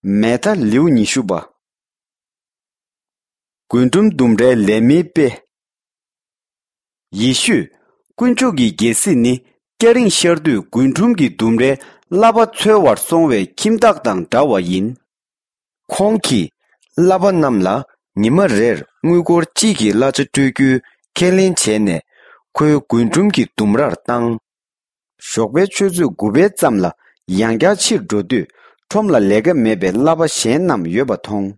Meta liu nishuba. Kuntum dumre lemi pe. Yishu, kunchugi gesi ni kering sherdu kuntumgi dumre laba tsewar songwe kimdakdang dawa yin. Kongki laba namla nima rer nguigor chigi lacha tuigu kelin chene kuyo kuntumgi dumrar tang. Shokbe chuzu gube tsamla yangya chir jodu chomla lega mebe laba shen nam yoba tong.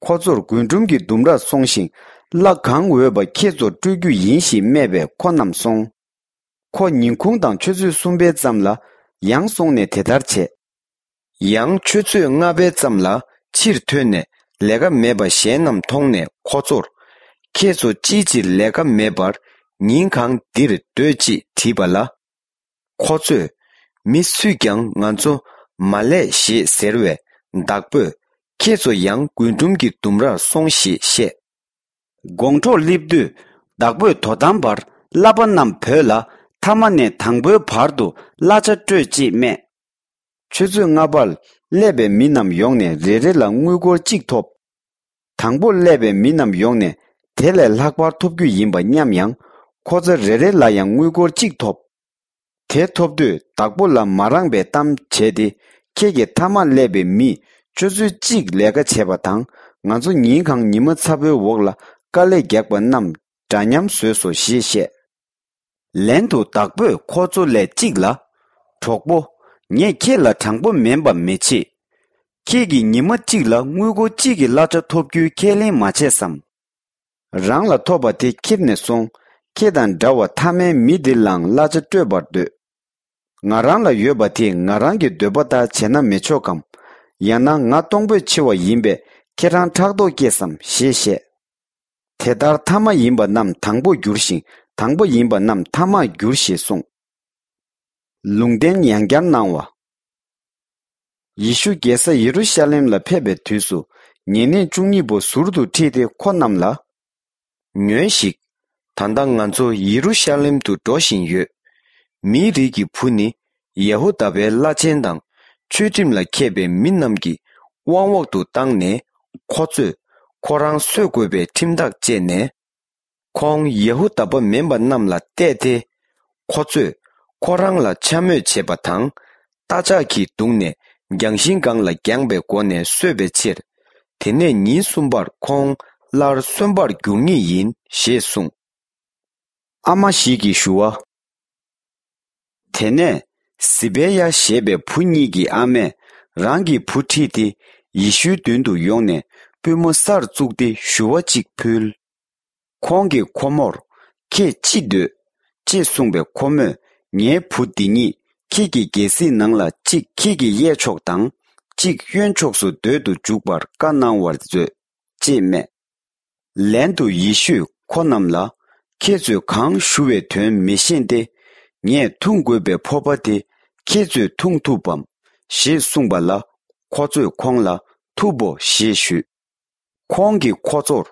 Khozor kuntumgi dumra songshin la gang weba kezo tuigu yinshi mebe konam song. Ko ninkung dang chuzu sumbe tsamla yang songne tedarche. Yang chuzu ngabe tsamla chir tuyne lega meba shenam tongne khozor kezo chichi lega mebar ninkang dir doji tibala. Khozo mi sugyang nganzo male shi serwe dakpo kezo yang kuntumgi dumra songshi she. Gongcho libdu dakbo todambar laban nam pöla tamane tangbo pardu lacha choji me. Chuzu ngabal lebe minam yongne rere la nguigor jiktop. Tangbo lebe minam yongne tele lakbar topgu yinba nyamyang koza rere la yang nguigor jiktop. Te topdu dakbo la marangbe tam chedi kege tama lebe mi chuzu jik lega cheba tang nganzo ninkang nima tsabe wogla kale gyakba nam danyam sueso she. Lento dakbo kozo le jikla chokbo nye ke la changbo memba mechi. Kegi nima jikla nguigo jiki lacha topgyu kelin mache sam. Rang la toba te kipne song kedan dawa tame midilang lacha tuebardu. Ngarang la yoba te ngarangi debata chena mechokam. Yana nga tongbo chiwa yinbe kerang chakdo kesam she. Tedar tama yinba nam tangbo gyurshin, tangbo yinba nam tama gyurshi song. Lungden yangyan nangwa. Yishu gesa Yerusalem la pebe tuisu, nyene chungnibo surdu tete konam la. Nyuenshik, tanda nganzo Yerusalem tu doshin yu. Mi rigi puni, Yehudabe la chendang, chutim la kebe minnamgi, wangwak tu tangne, khozu, korang suegwebe timdak jene. Kong Yehudaba memba namla tete, khozu, korang la chamyo chebatang, taja ki tungne, gyangshingang la gyangbe kone suebe chir. Tene ni sumbar kong lar sumbar gyungi yin she sung. Ama shiki shuwa. Tene sibeya shebe punigi ame rangi puti di yishu dundu yongne pimo sar zugdi shuwa chik pul. Kongi komor ke chidu chi sungbe kome nye puti ni kiki gesi nangla chik kiki ye chok tang chik yuen chok su dodu jukbar ka nang war zu chi me. Lendu yishu konamla kezu kang shuwe tuen mishinde nye tunggwebe pobade kezu tungtubam shi sungbala kozu kongla tubo shi shu. Kongi kozor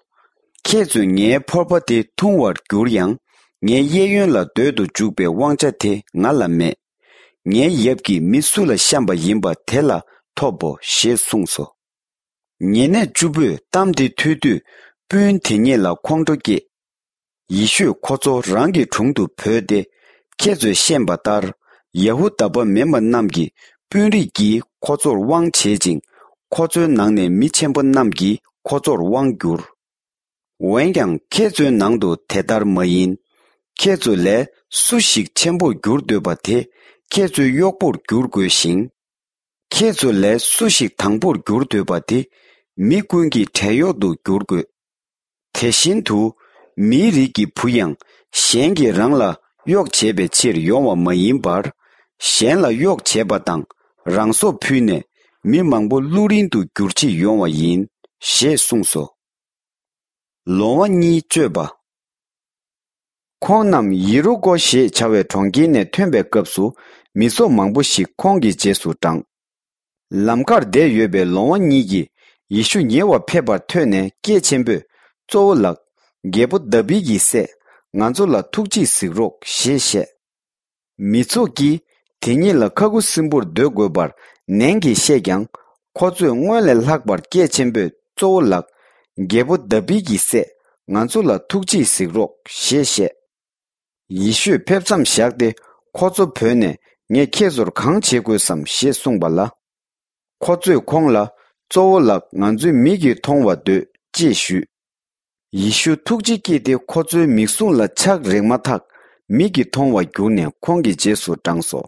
kezu nye pobade tungwar gyuryang nye yeyun la dodu jukbe wangchate ngala me. Nye yebki misula shamba yinba tela tobo shi sungso. Nyene jubu tamdi tudu bun tinye la kongdoge. Yishu kozo rangi chungdu pöde kezo shenba dar Yehudaba memba namgi bunri gi kozor wang chejing kozo nangne michenba namgi kozor wang gyur. Wengyang kezo nangdo tedar mayin kezo le sushik chenbo gyur doba te kezo yokbor gyur go shing. Kezo le sushik tangbor gyur doba te mi kungi teyodo gyur go. Teshin tu mi rigi puyang shengi rangla yok chebe chir yongwa mayin bar shen la yok cheba tang rangso pune mi mangbo lurindu gyurchi yongwa yin she sungso. Longwa ni cheba. Kong nam yiru go she chawe chonggi ne tuenbe kapsu miso mangbo shi kongi jesu tang. Lamkar de yuebe longwa ni gi yishu nyewa pebar tuene kie chenbe zo lak gebu dabi gi se nganzo la tukji sikrok she. Mitso ki tenye la kagu simbur do gobar nengi she gyang khozu ngwele lakbar ke chembe zo lak gebo dabi gi se nganzu la tukji sikrok she Yishu pepsam shakde khozu pöne nge kezor kang chego sam she songbala khozu kongla zo lak nganzu migi tongwa de jishu Yishu tukji ki de khozu miksung la chak rengma tak migi tongwa gyune kongi jesu tangso